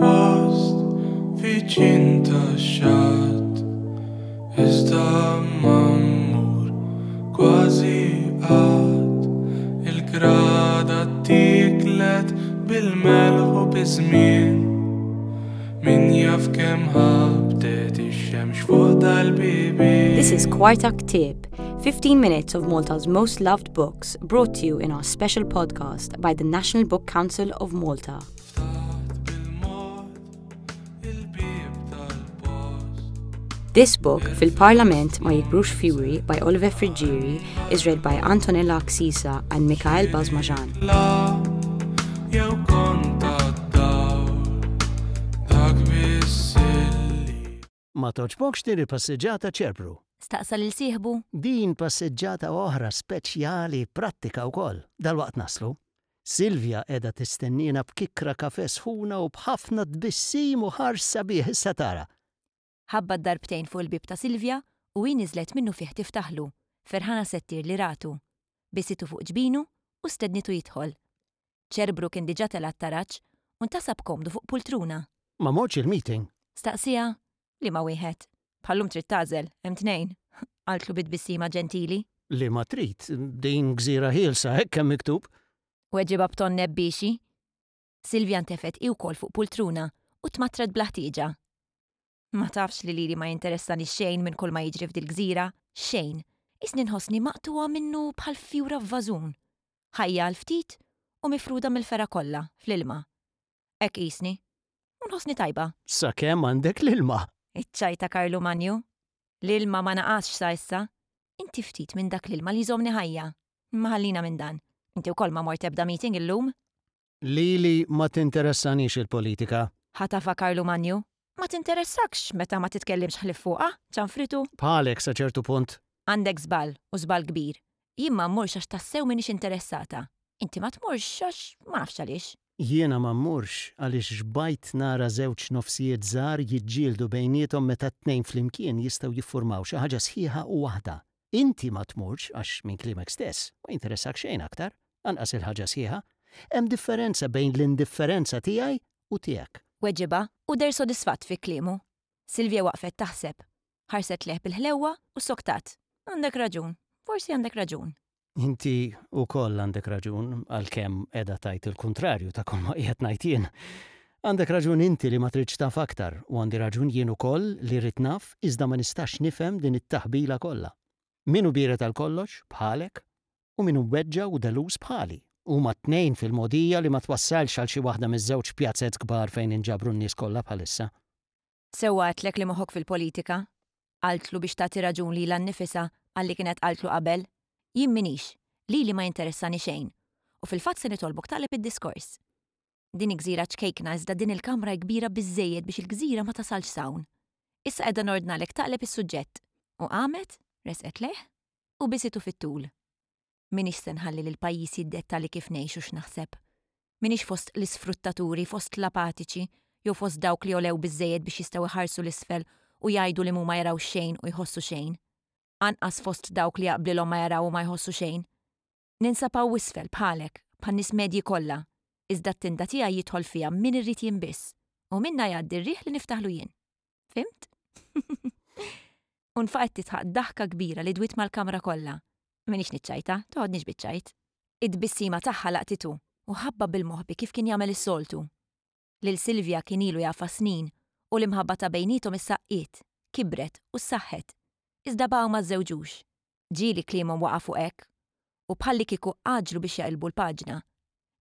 il-post viċin tax-xatt Iżda ma mmur kważi qatt Il-grada ttiklet bil-melħ u biż-żmien Min jaf kemm ħabtet ix-xemx fuq dal-bibien This is Kwarta Ktieb, 15 minutes of Malta's most loved books brought to you in our special podcast by the National Book Council of Malta. This book, Fil-Parlament ma Jikbrux Fjuri by Oliver Friggieri, is read by Antonella Axisa and Mikhail Basmajan. Ma togħġbokx din il-passiġġata Ċerbru? Staqsa lil sieħbu. Din passiġġata oħra speċjali prattika wkoll. Dalwaqt naslu. Silvia qiegħda tistenniena b'kikkra kafè sħuna u b'ħafna tbissim u ħars sabiħ issa tara. Ħabbat darbtejn fuq il-bieb ta' Silvia u hi niżlet minnufih tiftaħlu, ferħana se ttir li ratu. Bisitu fuq ġbinu u stednitu jidħol. Ċerbru kien diġà tela' t-taraġ u ntasab komdu fuq pultruna. Ma mortx il-meeting? Staqsieha. Liema wieħed? Bħal-lum trid tagħżel, hemm tnejn, qaltlu bi tbissima ġentili. Liema trid, din gżira ħielsa, hekk hemm miktub. Weġibha b'ton nebbiexi. Silvia ntefgħet hi wkoll fuq pultruna u tmattret bla ħtieġa. Ma tafx li lili ma jinteressani xejn minn kulma jiġri f'dil-gżira, xejn. Qisni nħossni maqtugħa minnu bħal fjura f'vażun. Ħajja għal ftit u mifruda mill-fergħa kollha, fl-ilma. Hekk qisni. U nħossni tajba. Sakemm għandek l-ilma. Iċċajta Karlu Manju. L-ilma ma naqasx sa issa. Inti ftit minn dak l-ilma li jżommni ħajja. Imma ħallina minn dan. Inti wkoll ma mort ebda meeting illum? Lili ma tinteressanix il-politika. Ħatafha Karlu Manju. Ma tinteressakx meta ma titkellimx ħlief fuqha, ċanfritu. Bħalek sa ċertu punt. Għandek żball, u żball kbir. Jien ma mmurx għax tassew m'iniex interessata. Inti ma tmurx għax ma nafx għaliex. Jiena ma mmurx għaliex xbajt nara żewġ nofsijiet żgħar jiġġieldu bejniethom meta t-tnejn flimkien jistgħu jiffurmaw xi ħaġa sħiħa u waħda. Inti ma tmurx għax, minn kliemek stess, ma jinteressak xejn aktar, anqas il-ħaġa sħiħa. Hemm differenza bejn l-indifferenza tiegħi u tiegħek. Weġibha u deher sodisfatt fi kliemu. Silvia waqfet taħseb. Ħarset lejh bil-ħlewwa u ssoktat. Għandek raġun. Forsi għandek raġun. Inti wkoll għandek raġun, għalkemm qiegħda tgħid il-kuntrarju ta' kulma qiegħed ngħid jien. Għandek raġun inti li ma tridx taf aktar, u għandi raġun jien ukoll li rrid naf iżda ma nistax nifhem din it-taħbila kollha. Min hu biered għal kollox, bħalek, u min hu mweġġa' u deluż bħali. Huma t-tnejn fil-mogħdija li ma twassalx għal xi waħda miż-żewġ pjazez kbar fejn inġabru n-nies kollha bħalissa. Sewwa għedtlek li moħħok fil-politika? Qaltlu biex tagħti raġun lilha nnifisha għal li kienet qaltlu qabel. Jien m'iniex. Lili ma jinteressani xejn. U fil-fatt se nitolbok taqleb id-diskors. Din hi gżira ċkejkna iżda din il-kamra hi kbira biżżejjed biex il-gżira ma tasalx s'hawn. Issa qiegħda nordnalek taqleb is-suġġett. U qamet, resqet lejh, u bisitu fit-tul. M'iniex se nħalli lill-pajjiż jiddettali kif ngħix u x'naħseb. M'iniex fost l-isfruttaturi, fost l-apatiċi, jew fost dawk li għolew biżżejjed biex jistgħu jħarsu 'l isfel u jgħidu li m'huma jaraw xejn u jħossu xejn. Anqas fost dawk li jaqblilhom ma jaraw u ma jħossu xejn. Ninsab hawn isfel, bħalek, bħan-nies medji kollha, iżda t-tinda tiegħi jidħol fiha min irrid jien biss, u minnha jgħaddi r-riħ li niftaħlu jien. Fhimt? U nfaqgħet tidħaq daħka kbira li dwiet mal-kamra kollha. M'iniex niċċajta, toħodnix biċ-ċajt. It-tbissima tagħha laqtitu u ħabbha bil-moħbi kif kien jagħmel is-soltu. Lil Silvia kien ilu jafha snin u l-imħabba ta' bejniethom issa qqiet, kibret u ssaħħet. Iżda baqgħu ma żżewġux. Ġieli kliemhom waqa' fuq hekk u bħallikieku għaġġlu biex jaqilbu l-paġna.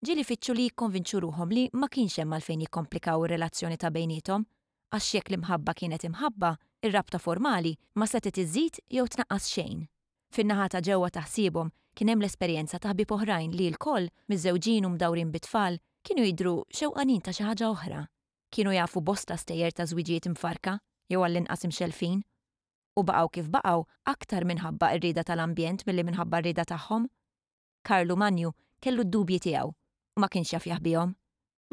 Ġieli fittxu li jikkonvinċu ruħhom li ma kienx hemm għalfejn jikkomplikaw ir-relazzjoni ta' bejniethom, għax jekk l-imħabba kienet imħabba, ir-rabta formali ma setgħet iżżid jew tnaqqas xejn. Fin-naħa ta' ġewwa ta' ħsiebhom kien hemm l-esperjenza ta' ħbieb oħrajn li lkoll, miżżewġin u mdawrin bit-tfal, kienu jidhru xewqanin ta' xi ħaġa oħra. Kienu jafu bosta stejjer ta' żwiġijiet imfarrka, jew għall-inqas imxellfin. U baqgħu kif baqgħu aktar minħabba r-rieda tal-ambjent milli minħabba r-rieda tagħhom. Karlu Manju kellu d-dubji tiegħu u ma kienx jaf jaħbihom.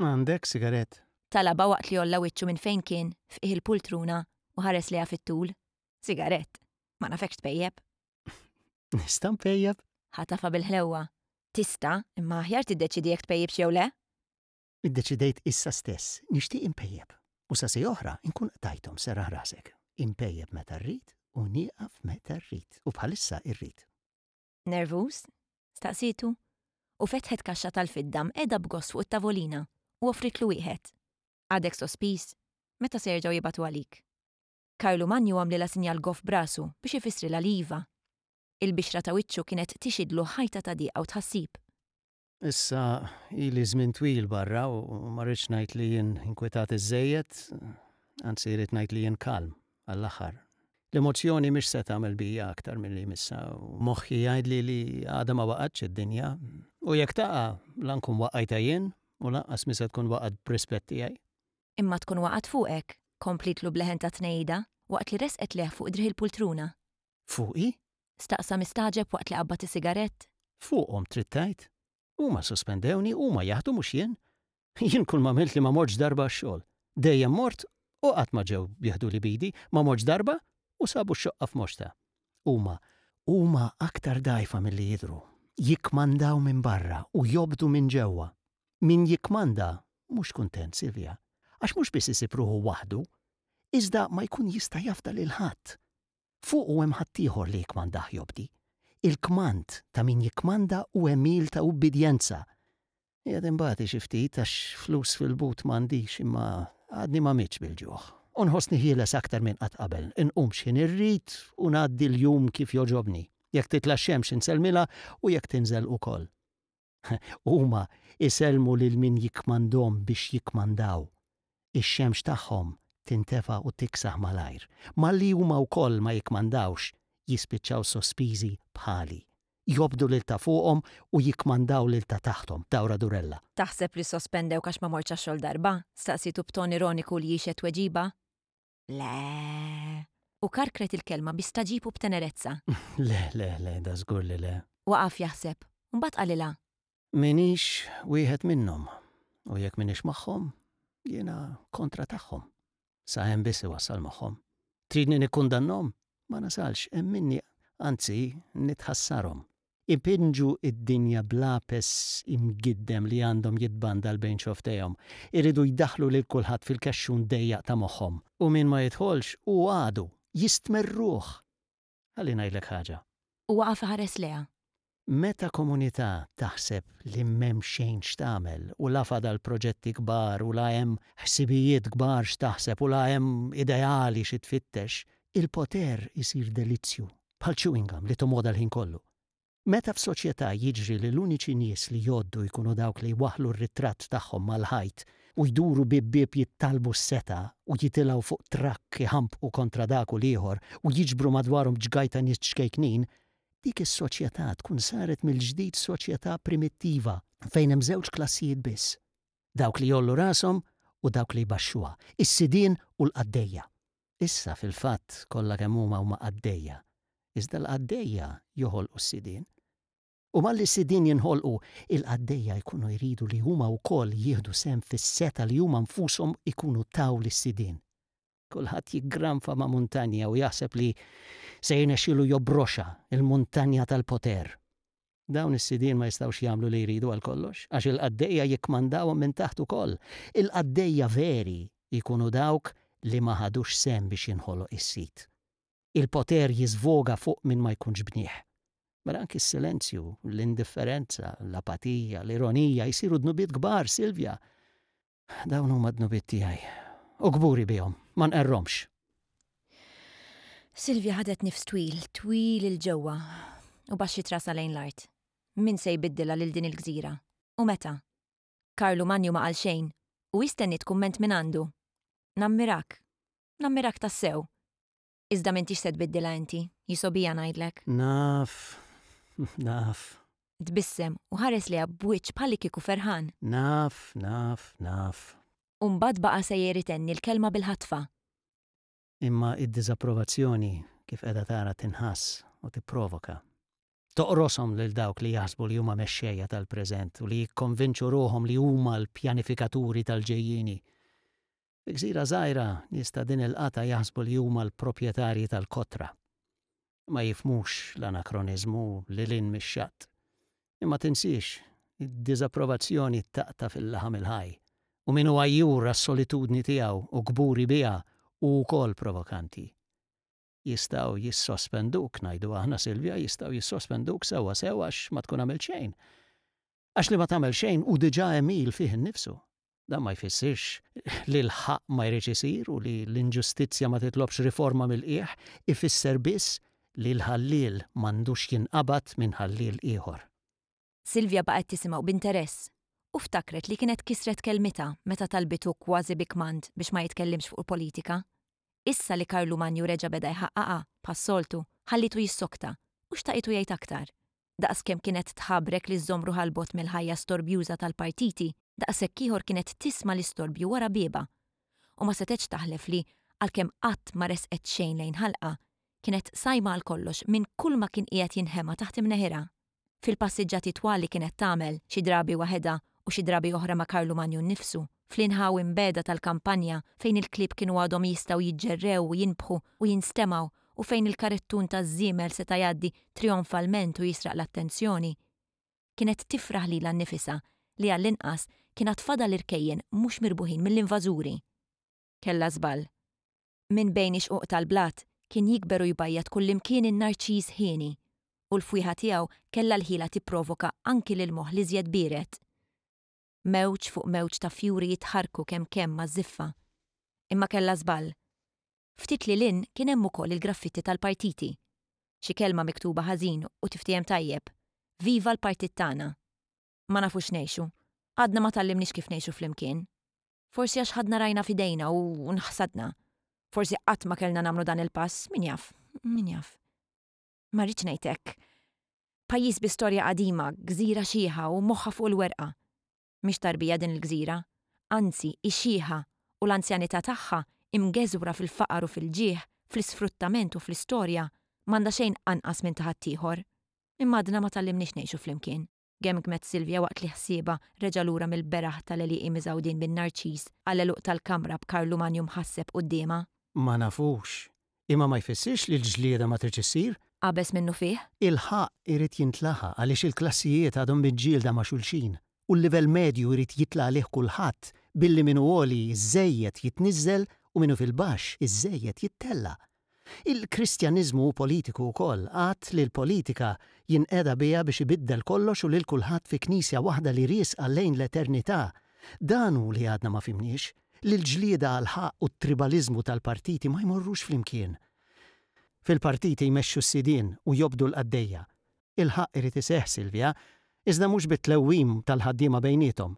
Għandek sigarett? Talabha waqt li għolla wiċċu minn fejn kien f'qiegħ il-pultruna u ħares lejha fit-tul. Sigarett? Ma nafekx tpejjep. Nista' npejjep? Ħatafha bil-ħlewwa. Tista', imma aħjar tiddeċiedi jekk tpejjipx jew le. Iddeċidejt issa stess, nixtieq inpejjep. U sa siegħa oħra nkun qtajthom, serraħ rasek. Inpejjep meta rrid u nieqaf meta rrid. U bħalissa rrid. Nervuż? staqsietu, u fetħet kaxxa tal-fidda mqiegħda b'gost fuq it-tavolina u offrietlu wieħed. Għadek sospiż? Meta se jerġgħu jibagħtu għalik? Karlu Manju għamlilha sinjal goff b'rasu biex ifissrilha li iva. Il-bixra ta' wiċċu kienet tixhidlu ħajta ta' dieqa u tħassib. Issa ili żmien twil barra u ma rridx ngħid li jien inkwetat iżżejjed, anzi rrid ngħid li jien kalm għall-aħħar. L-emozzjoni mhix se tagħmel bija aktar milli jmissha u moħħi jgħidli li għadha ma waqgħetx id-dinja u jekk taqa' la nkun waqqajtha jien u lanqas mhi se tkun waqgħet b'rispett tiegħi. Imma tkun waqgħet fuqek, komplietlu b'leħen ta' tnehida waqt li resqet lejh fuq driegħ il-pultruna. Fuqi? Staqsa mistagħġeb waqt li qabbad is-sigarett. Fuqhom trid tgħid? Huma ssospendewni, huma jaħdu mhux jien. Jien kull m'għamilt li ma mortx darba għax-xogħol. Dejjem mort u qatt ma ġew jeħduli b'idi, ma mortx darba u sabu x-xoqqa f'moxtha. Huma, huma aktar dgħajfa milli jidhru. Jikkmandaw minn barra u jobdu minn ġewwa. Min jikkmanda mhux kuntent, Silvia, għax mhux biss isib ruħu waħdu, iżda ma jkun jista' jafda lil ħadd. Fuqu hemm ħaddieħor li jikkmandah jobdi. Il-kmand ta' min jikkmanda hu għemil ta' ubbidjenza. Qiegħed inbati xi ftit għax flus fil-but m'għandix imma għadni ma mittx bil-ġuħ. U nħossni ħieles aktar minn qatt qabel. Inqum x'ħin irrid u ngħaddi l-jum kif jogħġobni. Jekk titla' x-xemx insellmilha u jekk tinżel ukoll. Huma jsellmu lil min jikkmandhom biex jikkmandaw. Ix-xemx tagħhom tintefa' u tiksaħ malajr. Malli huma wkoll ma jikkmandawx, jispiċċaw sospiżi bħali. Jobdu lil ta' fuqhom u jikkmandaw lil ta' taħthom, dawra durella. Taħseb li ssospendewk għax ma mortx għax-xogħol darba? staqsietu b'ton ironiku li jixhed tweġiba. Le. U karkret il-kelma bi stagħġib u b'tenerezza. Le, le, le, dażgur li le. Waqaf jaħseb, u mbagħad qalilha. M'iniex wieħed minnhom, u jekk m'iniex magħhom, jiena kontra tagħhom. Sa hemm biss iwassal moħħhom. Tridni nikkundannhom? Ma nasalx, hemm minni, anzi, nitħassarhom. Ipinġu d-dinja b'lapes imgiddem li għandhom jitbandal bejn xofftejhom. Iridu jdaħħlu lil kulħadd fil-kexxun dejjaq ta' moħħhom. U min ma jidħolx hu għadu. Jistmerruh! Ħalli ngħidlek ħaġa. U waqaf iħares lejha. Meta komunità taħseb li m'hemm xejn x'tagħmel u la fadal proġetti kbar u la hemm ħsibijiet kbar x'taħseb u la hemm ideali xi tfittex, il-poter isir delizzju. Bħal chewing gum li tomgħodha l-ħin kollu. Meta f'soċjetà jiġri li l-uniċi nies li jgħoddu jkunu dawk li jwaħħlu r-ritratt tagħhom mal-ħajt u jduru bieb bieb jittalbu s-setgħa u jitilgħu fuq trakk iħampqu kontra dak u l-ieħor u jiġbru madwarhom ġgajta nies ċkejknin, dik is-soċjetà tkun saret mill-ġdid soċjetà primittiva fejn hemm żewġ klassijiet biss, dawk li jgħollu rashom u dawk li jbaxxuha, is-sidien u l-qaddejja. Issa, fil-fatt, kollha kemm huma huma qaddejja. Iżda l-qaddejja joħolqu s-sidien. U malli s-sidien jinħolqu, il-qaddejja jkunu jridu li huma wkoll jieħdu sehem fis-setgħa li huma nfushom ikunu taw lis-sidien. Kulħadd jiggranfa ma' muntanja u jaħseb li se jirnexxilu jobroxha, il-muntanja tal-poter. Dawn is-sidien ma jistgħux jagħmlu li jridu għal kollox, għax il-qaddejja jikkmandawhom minn taħt ukoll. Il-qaddejja veri jkunu dawk li ma ħadux sehem biex jinħoloq is-sid. Il-poter jiżvoga fuq min ma jkunx bnieh. Mela anki s-silenzju, l-indifferenza, l-apatija, l-ironija jsiru dnubiet kbar, Silvia. Dawn huma d-dnubiet tiegħi. U kburi bihom, ma nqerrhomx. Silvia ħadet nifs twil, twil 'il ġewwa, u baxxiet rasha lejn l-art. Min se jbiddilha lil din il-gżira? U meta? Karlu Manju ma qal xejn, u hi stenniet kumment mingħandu. Nammirak. Nammirak tassew. Iżda m'intix se tbiddilha inti, jisgħobija ngħidlek. Naf, naf. Tbissem u ħares lejha b'wiċċ bħallikieku ferħan. Naf, naf, naf. U mbagħad baqa' sejjer itenni l-kelma bil-ħatfa. Imma id-diżapprovazzjoni, kif qiegħda tara, tinħass u tipprovoka. Toqroshom lil dawk li jaħsbu li huma mexxejja tal-preżent u li jikkonvinċu ruħhom li huma l-pjanifikaturi tal-ġejjieni. Fi gżira żgħira, nies ta' din il-qatgħa jaħsbu li huma l-proprjetarji tal-kotra. Ma jifhmux l-anakroniżmu lil hinn mix-xatt. Imma tinsiex, id-diżapprovazzjoni taqta' fil-laħam il-ħaj. U min hu għajjur għas-solitudni tiegħu u kburi biha hu wkoll provokanti. Jistgħu jissospenduk, ngħidu aħna, Silvia, jistgħu jissospenduk sewwa sew għax ma tkun għamilt xejn. Għax li ma tagħmel xejn hu diġà għemil fih innifsu. Dan ma jfissirx li l-ħaqq ma jridx isir u li l-inġustizzja ma titlobx riforma mill-qiegħ, ifisser biss li l-ħalliel m'għandux jinqabad minn ħalliel ieħor. Silvia baqgħet tisimgħu b'interess u ftakret li kienet kisret kelmitha meta talbitu kważi bi kmand biex ma jitkellimx fuq il-politika. Issa li Karlu Manju reġa' beda jħaqqaqha, bħas-soltu, ħallietu jissokta u xtaqitu jgħid aktar. Daqs kemm kienet tħabrek li żżomm ruħha 'l bogħod mill-ħajja storbjuża tal-partiti, daqshekk ieħor kienet tisma' l-istorbju wara biebha. U ma setgħetx taħlef li, għalkemm qatt ma resqet xejn lejn ħalqha, kienet sajma għal kollox minn kulma kien qiegħed jinħema taħt imneħirha. Fil-passiġġati twal li kienet tagħmel, xi drabi waħedha u xi drabi oħra ma' Karlu Manju nnifsu, fl-inħawi mbiegħda tal-kampanja fejn il-klieb kienu għadhom jistgħu jiġġerrew u jinbħu u jinstemgħu u fejn il-karettun taż-żiemel seta' jgħaddi trijonfalment u jisraq l-attenzjoni, kienet tifraħ lilha nnifisha li għall-inqas kien għad fadal irkejjen mhux mirbuħin mill-invażuri. Kellha żball. Minn bejn ix-xquq tal-blat kien jikber u jbajjad kullimkien in-narċiż hieni, u l-fwieħa tiegħu kellha l-ħila tipprovoka anki lill-moħħ l-iżjed biered. Mewġ fuq mewġ ta' fjuri jitħarrku kemm kemm maż-żiffa. Imma kellha żball. Ftit lil hinn kien hemm ukoll il-graffitti tal-partiti. Xi kelma miktuba ħażin u tiftiehem tajjeb. Viva l-partit tagħna! Ma nafux ngħixu. Għadna ma tgħallimniex kif ngħixu flimkien. Forsi għax ħadna rajna f'idejna u nħsadna. Forsi qatt ma kellna nagħmlu dan il-pass, min jaf, min jaf. Ma rridx ngħid hekk. Pajjiż bi storja qadima, gżira xiħa u moħħha fuq il-werqa. Mhix tarbija din il-gżira, anzi hi xiħa u l-anzjanità tagħha, imgeżwra fil-faqar u fil-ġieħ, fl-isfruttament u fl-istorja, m'għandha xejn anqas minn ta' ħaddieħor. Imma għadna ma tgħallimniex ngħixu flimkien, gemgmet Silvia waqt li ħsiebha reġa' lura mill-beraħ tal-għelieqi miżgħudin bin-narċis għall-għeluq tal-kamra b'Karlu Manju mħasseb quddiemha. Ma nafux. Imma ma jfissirx li l-ġlieda ma tridx issir. Qabeż minnufih. Il-ħaqq irid jintlaħaq għaliex il-klassijiet għadhom miġġielda ma' xulxin u l-livell medju jrid jitla' għalih kulħadd billi min hu għoli żżejjed jitniżżel u min hu fil-baxx iżżejjed jittella'. Il-Kristjaniżmu hu politiku wkoll, għad li l-politika jinqeda biha biex ibiddel kollox u lil kulħadd fi Knisja waħda li riesqa lejn l-eternità. Dan hu li għadna ma fhimniex. Li l-ġlieda għall-ħaqq u t-tribaliżmu tal-partiti ma jmorrux flimkien. Fil-partiti jmexxu s-sidien u jobdu l-qaddejja. Il-ħaqq irid iseħħ, Silvia, iżda mhux bit-tlewwim tal-ħaddiema bejniethom.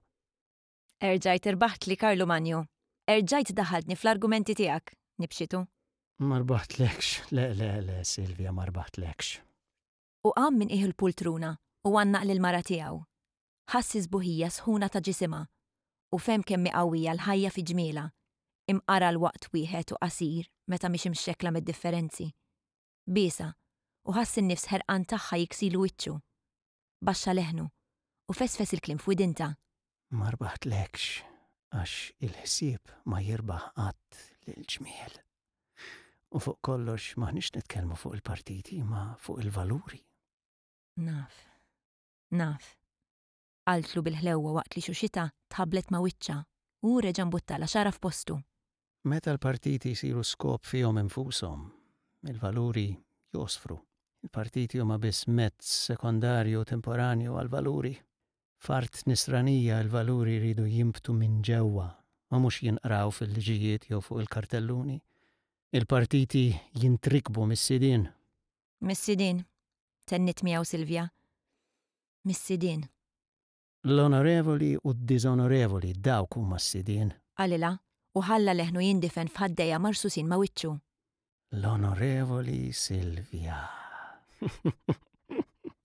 Erġajt irbaħtli, Karlu Manju. Erġajt daħħaltni fl-argumenti tiegħek, nibxitu. Ma rbaħtlekx, le, le, le, Silvia, ma rbaħtlekx. U qam minn qiegħ il-pultruna u għannaq lill-mara tiegħu. Ħass is-sbuħija sħuna ta' ġisimha u fehem kemm hi qawwija l-ħajja fi ġmielha, imqar għal waqt wieħed u qasir meta mhix imxekkla mid-differenzi. Biesha, u ħass in-nifs ħerqan tagħha jiksilu wiċċu. Baxxa leħnu, u fesfes il-kliem f'widintha. Ma rbaħtlekx għax il-ħsieb ma jirbaħ qatt lill-ġmiel. U fuq kollox m'aħniex nitkellmu fuq il-partiti imma fuq il-valuri. Naf. Naf. Qaltlu bil-ħlewwa waqt li xuxitha tħabblet ma' wiċċha u hu reġa' mbuttalha xagħarha f'postu. Meta l-partiti jsiru skop fihom infushom, il-valuri jogħsfru. Il-partiti huma biss mezz sekondarju u temporanju għall-valuri. F'art Nisranija l-valuri jridu jinbtu minn ġewwa u mhux jinqraw fil-liġijiet jew fuq il-kartelluni. Il-partiti jintrikbu mis-sidien. Mis-sidien, tenniet miegħu Silvia. Mis-sidien. L-onorevoli u d-diżonorevoli dawk huma s-sidien. Qalilha, u ħalla leħnu jindifen f'ħaddejha marsusin ma' wiċċu. L-Onorevoli Silvia.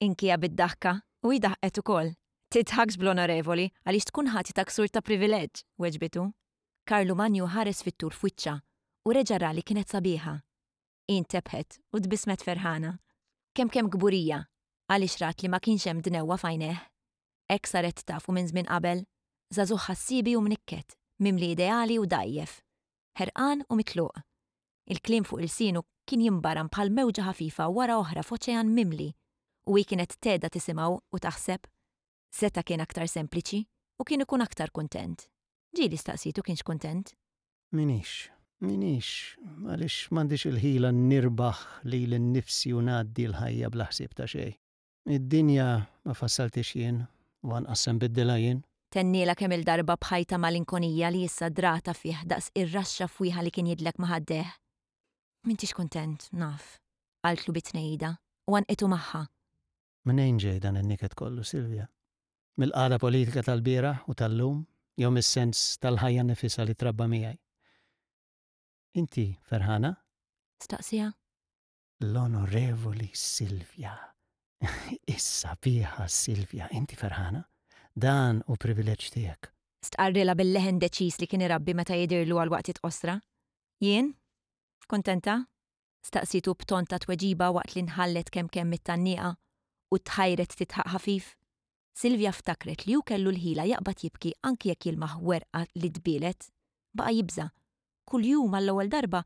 Inkija bid-daħka, u hi daħqet ukoll. Tidħakx bl-Onorevoli, għaliex tkun ħati ta' ksur ta' privileġġ, weġbitu. Karlu Manju ħares fit-tul f'wiċċha u reġa' ra li kienet sabiħa. Hi ntebħet u tbissmet ferħana. Kemm kemm kburija, għaliex rat li ma kienx hemm dnewwa f'għajnejh. Hekk saret tafu minn żmien qabel, żagħżugħ ħassiebi u mnikket, mimli ideali u dgħajjef. Ħerqan u mitluq. Il-kliem fuq ilsienu kien jimbaram bħal mewġa ħafifa wara oħra f'oċean mimli, u hi kienet tgħedha tisimgħu u taħseb. Seta' kien aktar sempliċi u kien ikun aktar kuntent. Ġieli staqsietu kienx kuntent. M'iniex. M'iniex, għaliex m'għandix il-ħila nirbaħ lili nnifsi u ngħaddi l-ħajja bla ħsieb ta' xejn. Id-dinja ma fassalthiex jien u anqas se nbiddilha jien. Tennielha kemm-il darba b'ħajta malinkonija li issa dratha fih daqs ir-raxxa fwieħa li kien jidlek ma' ħaddejh. M'intix kuntent, naf, qaltlu bi tnehida u għannqitu magħha. Mnejn ġej dan in-niket kollu, Silvia? Mill-qagħda politika tal-bieraħ u tal-lum jew mis-sens tal-ħajja nnifisha li trabba miegħi? Inti ferħana? Staqsieha. L-Onorevoli Silvia. Is-sabiħa Silvia, inti ferħana? Dan hu privileġġ tiegħek. Stqarrilha bil-leħen deċiż li kien irabbi meta jidhirlu għal waqtiet qosra. Jien? Kuntenta? Staqsietu b'ton ta' tweġiba waqt li nħallet kemm kemm mit-tgħanniqa u tħajret tidħaq ħafif. Silvia ftakret li hu kellu l-ħila jaqbad jibki anki jekk jilmaħ werqa li tbielet. Baqa' jibża'. Kuljum għall-ewwel darba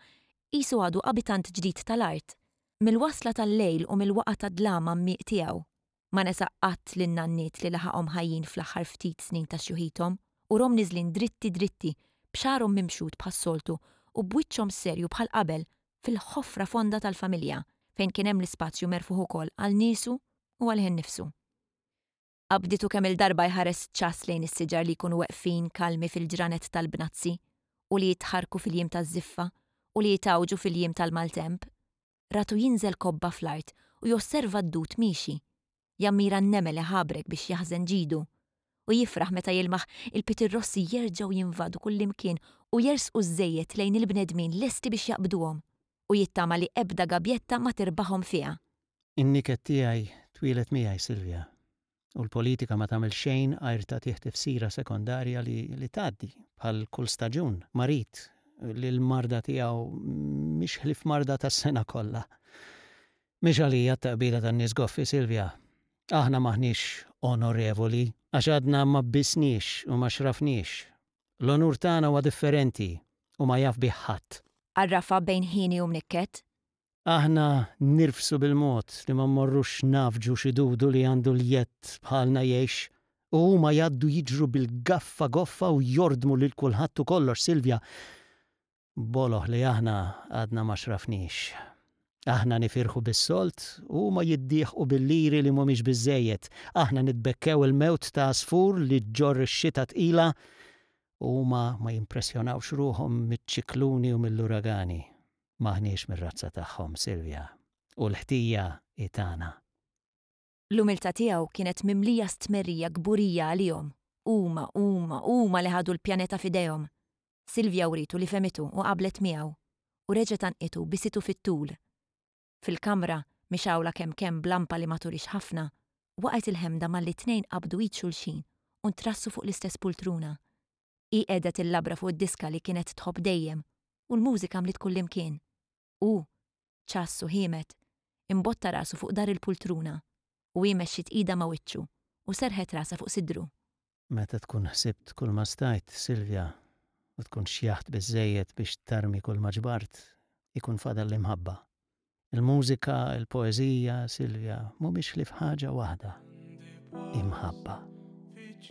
qisu għadu abitant ġdid tal-art. Mill-wasla tal-lejl u mill-waqgħa tad-dlam għammieq tiegħu. Ma nesa qatt lin-nanniet li laħaqhom ħajjin fl-aħħar ftit snin ta' xjuħithom u rhom niżlin dritti dritti, b'xagħarhom mimxut bħas-soltu u b'wiċċhom serju bħal qabel fil-ħofra fonda tal-familja fejn kien hemm l-ispazju merfugħ ukoll għal niesu u għalih innifsu. Qabditu kemm-il darba jħares ċass lejn is-siġar li jkunu weqfin kalmi fil-ġranet tal-bnazzi u li jitħarrku fil-jiem taż-żiffa u li jitgħawġu fil-jiem tal-maltemp. Ratu jinżel kobba fl-art u josserva d-dud miexi. Jammira n-nemel iħabrek biex jaħżen ġidu. U jifraħ meta jilmaħ il-pitirrossi jerġgħu jinvadu kullimkien u jersqu żżejjed lejn il-bnedmin lesti biex jaqbduhom. U jittama li ebda gabjetta ma tirbaħhom fiha. In-niket tiegħi twieled miegħi, Silvia. U l-politika ma tagħmel xejn għajr tagħtih tifsira sekondarja li li tgħaddi, bħal kull staġun, marid, li l-marda tiegħu mhix ħlief marda tas-sena kollha. Mhix għalija t-taqbila tan-nies goffi, Silvia. Aħna m'aħniex onorevoli, għax għadna ma bbisniex u ma xrafniex. L-onur tagħna huwa differenti u ma jaf bih ħadd. Għarrafha bejn ħieni u mnikket. Aħna nirfsu bil-mod li ma mmorrux ngħaffġu xi dudu li għandu l-jedd bħalna jgħix u huma jgħaddu jiġru bil-gaffa goffa u jordmu lil kulħadd u kollox, Silvia, boloh li aħna għadna ma xrafniex. Aħna nifirħu bis-sold u huma jiddieħqu bil-liri li mhumiex biżżejjed. Aħna nitbekkew il-mewt ta' għasfur li ġġorr ix-xita tqila u huma ma jimpressjonawx ruħhom miċ-ċikluni u mill-uragani. M'aħniex mir-razza tagħhom, Silvia, u l-ħtija hi tagħna. L-umiltà tiegħu kienet mimlija stmerrija kburija għalihom, huma, huma, huma li ħadu l-pjaneta f'idejhom. Silvia wrietu li fehmitu u qablet miegħu, u reġgħet għannqitu bisitu fit-tul. Fil-kamra, mixgħula kemm kemm b'lampa li ma turix ħafna, waqgħet il-ħemda malli t-tnejn qabdu id xulxin u ntrassu fuq l-istess pultruna. Hi qegħdet il-labra fuq id-diska li kienet tħobb dejjem u l-mużika mliet kullimkien. Hu, ċass u ħiemed, imbotta rasu fuq dar il-pultruna u hi mexxiet idha ma' wiċċu u serrħet rasha fuq sidru. Meta tkun ħsibt kulma stajt, Silvia, u tkun xjaħt biżżejjed biex tarmi kulma ġbart, ikun fadal l-imħabba. Il-mużika, il-poeżija, Silvia, mhumiex ħlief ħaġa waħda, imħabba.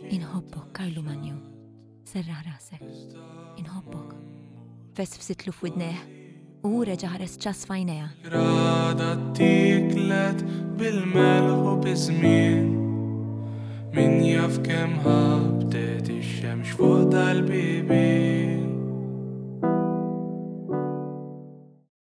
Inħobbok, Karlu Manju. Serraħ rasek. Inħobbok. Fesfsitlu f'widnejh u hu reġa' ħares ċass f'għajnejha. Grada tiklet bil-melħ u biż-żmien. Min jaf kemm ħabtet ix-xemx fuq dal-bibien.